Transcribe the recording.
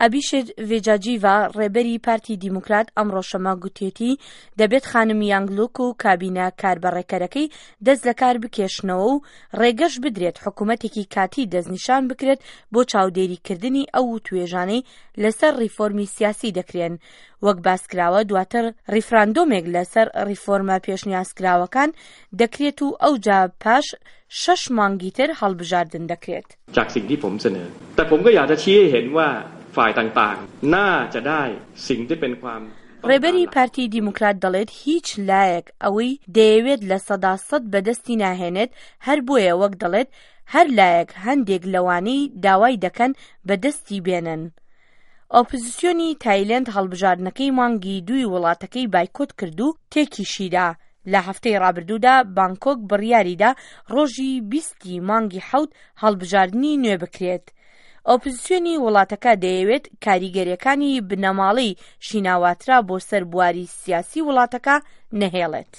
ئەبیشێت ڤێجاجیڤا، ڕێبەری پارتی دیموکرات ئەمڕۆ شەممە گوتیەتی، دەبێت خانم یانگلوک و کابینە کاربەڕێکەرەکەی دەست لەکار بکێشنەوە و ڕێگەش بدرێت حکومەتێکی کاتی دەستنیشان بکرێت بۆ چاودێریکردنی ئەو وتوێژانەی لەسەر ڕیفۆرمی سیاسی دەکرێن. وەک باسکراوە دواتر ڕیفراندۆمێک لەسەر ڕیفۆرمە پێشنیازکراوەکان دەکرێت و ئەوجا پاش شەش مانگی تر هەڵبژاردن دەکرێت. จากสิ่งที่ผมเสนอแต่ผมก็อยากจะชี้ให้เห็นว่าฝ่ายต่างๆน่าจะได้สิ่งที่เป็นความ ڕێبەری پارتی دیموکرات دەڵێت هیچ لایەک ئەوەی دەیەوێت 100% بەدەستی ناهێنێت، هەر بۆیە وەک دەڵێت هەر لایەک هەندێک لەوانەی داوای دەکەن بەدەستی بێنن. ئۆپزسیۆنی تایلەند هەڵبژاردنەکەی مانگی دووی وڵاتەکەی بایکۆت کرد و تێکیشیدا. لە هەفتەی ڕابردوودا بانکۆک بڕیاریدا ڕۆژی 20 ی مانگی حەوت هەڵبژاردنی نوێ بکرێت. ئۆپزسیۆنی وڵاتەکە دەیەوێت کاریگەریەکانی بنەماڵەی شیناواترا بۆ سەر بواری سیاسی وڵاتەکە نەهێڵێت.